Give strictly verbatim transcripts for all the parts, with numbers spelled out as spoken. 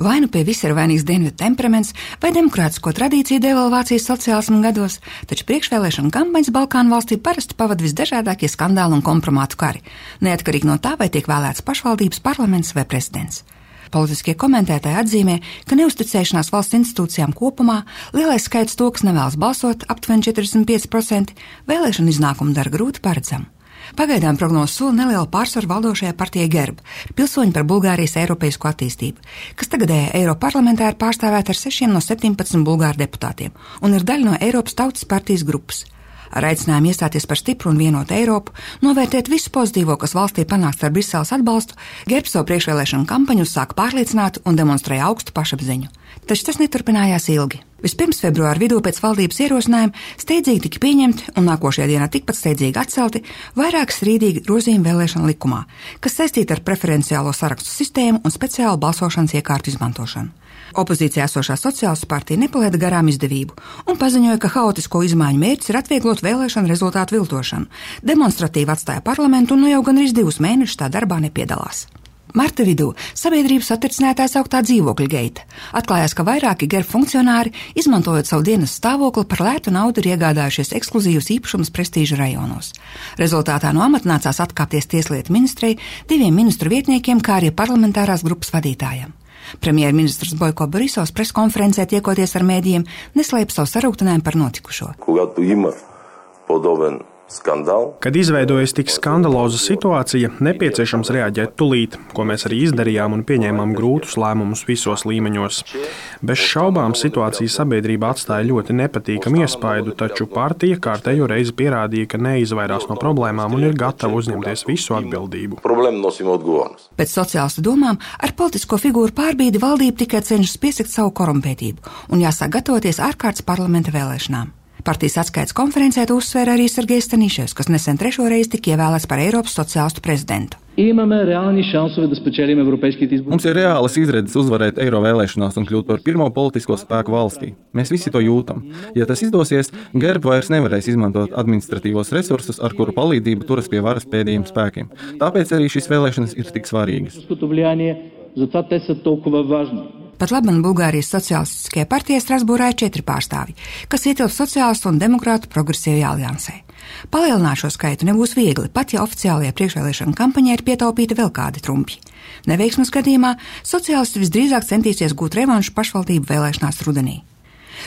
Vai nu pie visa ir vainīgs dienvidu temperaments vai demokrātisko tradīciju devalvācijas sociālismu gados, taču priekšvēlēšana kampaņas Balkānu valstī parasti pavada visdažādākie skandāli un kompromātu kari, neatkarīgi no tā, vai tiek vēlēts pašvaldības, parlaments vai prezidents. Politiskie komentētāji atzīmē, ka neusticēšanās valsts institūcijām kopumā, lielais skaits to, kas nevēlas balsot, aptuveni četrdesmit pieci procenti, vēlēšanu iznākumu dara grūti paredzamu. Pagaidām prognozes sola nelielu pārsvaru valdošajai partijai GERB, pilsoņi par Bulgārijas eiropeisko attīstību, kas tagadējā Eiroparlamentā ir pārstāvēta ar sešiem no septiņpadsmit bulgāru deputātiem un ir daļa no Eiropas Tautas partijas grupas. Ar aicinājumu iestāties par stipru un vienotu Eiropu, novērtēt visu pozitīvo, kas valstī panākts ar Briseles atbalstu, GERB savu priekšvēlēšanu kampaņu uzsāka pārliecināti un demonstrēja augstu pašapziņu. Taču tas neturpinājās ilgi. Vispirms februāra vidū pēc valdības ierosinājuma steidzīgi tika pieņemti un nākošajā dienā tikpat steidzīgi atcelti vairāk strīdīgi grozījumi vēlēšanu likumā, kas saistīti ar preferenciālo sarakstu sistēmu un speciālu balsošanas iekārtu izmantošanu. Opozīcijā esošā sociālistu partija nepalaida garām izdevību un paziņoja, ka haotisko izmaiņu mērķis ir atvieglot vēlēšanu rezultātu viltošanu, demonstratīvi atstāja parlamentu un nu jau gandrīz divus mēnešus tā darbā nepiedalās. Marta vidū sabiedrības satricinātājs augtā dzīvokļa geita. Atklājās, ka vairāki GERB funkcionāri, izmantojot savu dienas stāvokli, par lētu naudu ir iegādājušies ekskluzīvus īpašumus prestīža rajonos. Rezultātā no amata nācās atkāpties tieslietu ministrei, diviem ministru vietniekiem, kā arī parlamentārās grupas vadītājiem. Premjerministrs Bojko Borisovs preskonferencē tiekoties ar mēdījiem neslēpa savu sarūktinājumu par notikušo. Kad izveidojas tik skandaloza situācija, nepieciešams reaģēt tūlīt, ko mēs arī izdarījām un pieņēmām grūtus lēmumus visos līmeņos. Bez šaubām situācija sabiedrībā atstāja ļoti nepatīkamu iespaidu, taču partija kārtējo reizi pierādīja, ka neizvairās no problēmām un ir gatava uzņemties visu atbildību. Pēc sociālistu domām ar politisko figūru pārbīdi valdība tikai cenšas piesakt savu korumpētību un jāsāk gatavoties ārkārtas parlamenta vēlēšanām. Partijas atskaites konferencē to uzsvēra arī Sergejs Staniševs, kas nesen trešo reizi tika ievēlēts par Eiropas sociālistu prezidentu. Mums ir reālas izredzes uzvarēt eiro vēlēšanās un kļūt par pirmo politisko spēku valstī. Mēs visi to jūtam. Ja tas izdosies, GERB vairs nevarēs izmantot administratīvos resursus, ar kuru palīdzību turas pie varas pēdējiem spēkiem. Tāpēc arī šīs vēlēšanas ir tik svarīgas. Pat labam Bulgārijas sociālistiskajā partijā Strasbūrā ir četri pārstāvji, kas ietilp sociālistu un demokrātu progresīvajā aliansē. Palielināt šo skaitu nebūs viegli, pat ja oficiālajā priekšvēlēšana kampaņā ir pietaupīta vēl kādi trumpļi. Neveiksmes gadījumā sociālisti visdrīzāk centīsies gūt revanšu pašvaldību vēlēšanās rudenī.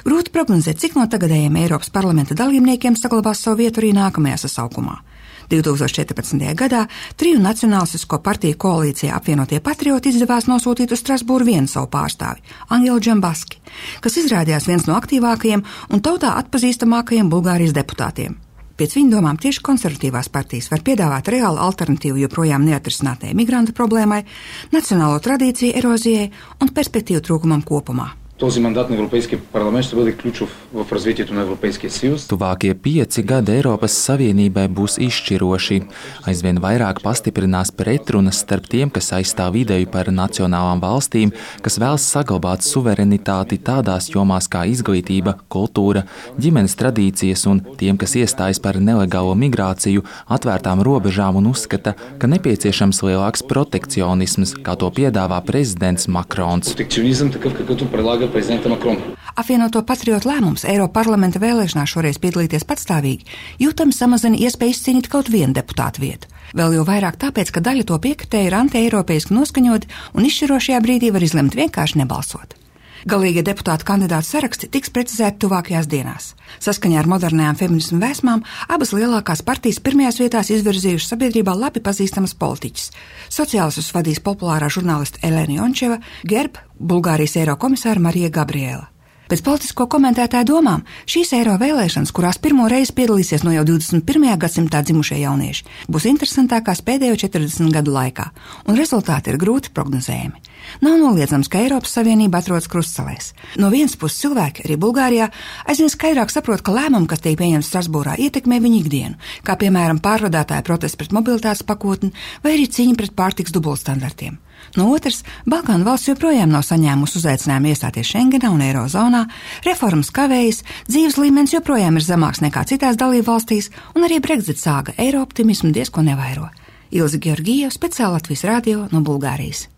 Grūti prognozēt, cik no tagadējiem Eiropas parlamenta dalībniekiem saglabās savu vietu arī nākamajā sasaukumā. divi tūkstoši četrpadsmitajā gadā triju nacionālistisko partiju koalīcijā apvienotie patrioti izdevās nosūtīt uz Strasbūru vienu savu pārstāvi, Angelu Džambaski, kas izrādījās viens no aktīvākajiem un tautā atpazīstamākajiem Bulgārijas deputātiem. Pēc viņa domām tieši konservatīvās partijas var piedāvāt reālu alternatīvu joprojām neatrisinātajai migrantu problēmai, nacionālo tradīciju erozijai un perspektīvu trūkumam kopumā. Този мандат на Европейския парламент ще бъде ключов в развитието на Европейския съюз. Tuvākie pieci gadi Eiropas Savienībai būs izšķiroši. Aizvien vairāk pastiprinās pretrunas starp tiem, kas aizstāv ideju par nacionālām valstīm, kas vēlas saglabāt suverenitāti tādās jomās kā izglītība, kultūra, ģimenes tradīcijas un tiem, kas iestājas par nelegālo migrāciju, atvērtām robežām un uzskata, ka nepieciešams lielāks protekcionisms, kā to piedāvā prezidents Makrons. Протекционизъм такъв, какъвто предлага prezidenta Makrona. Apvienoto patriotu lēmums Eiroparlamenta vēlēšanās šoreiz piedalīties patstāvīgi, jūtami samazina iespēju izcīnīt kaut vienu deputātu vietu. Vēl jau vairāk tāpēc, ka daļa to piekritēja ir anti-eiropeiski noskaņoti un izšķirošajā brīdī var izlemt vienkārši nebalsot. Galīgie deputātu kandidātu saraksti tiks precizēti tuvākajās dienās. Saskaņā ar modernajām feminismu vēsmām abas lielākās partijas pirmajās vietās izvirzījušas sabiedrībā labi pazīstamas politiķis. Sociālistus vadīs populārā žurnāliste Elena Jončeva, GERB Bulgārijas eirokomisāra Marija Gabriela. Pēc politisko komentētāju domām, šīs eiro vēlēšanas, kurās pirmo reizi piedalīsies no jau divdesmit pirmajā gadsimtā dzimušie jaunieši, būs interesantākās pēdējo četrdesmit gadu laikā, un rezultāti ir grūti prognozējami. Nav noliedzams, ka Eiropas Savienība atrodas krustcelēs. No vienas puses cilvēki, arī Bulgārijā, aizvien skaidrāk saprot, ka lēmumi, kas tiek pieņemti Strasbūrā, ietekmē viņu ikdienu, kā piemēram pārvadātāju protests pret mobilitātes pakotni vai arī cīņa pret pārtikas dubultstandartiem. No otras, Balkānu valsts joprojām nav saņēmusi uzaicinājumu iestāties Schengenā un Eirozonā, reformas kavējas, dzīves līmenis joprojām ir zemāks nekā citās dalību valstīs, un arī Brexit sāga eiro optimismu diezko nevairo. Ilze Georgijeva, speciāli Latvijas radio no Bulgārijas.